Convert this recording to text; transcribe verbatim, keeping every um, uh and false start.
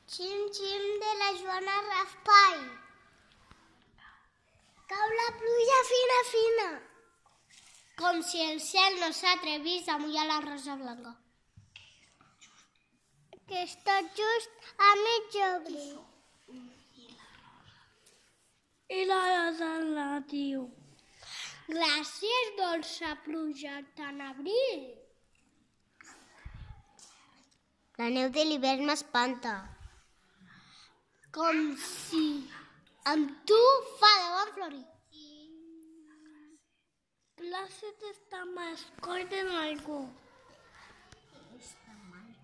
Xim-xim de la Joana Raspall. Cau la pluja fina, fina, com si el cel no s'atrevís a mullar la rosa blanca, que està just a mig obrir. I la rosa la diu: gràcies, dolça pluja tan abril. La neu de l'hivern m'espanta, com si amb tu fa de bon florir. Clases está más corta en algo.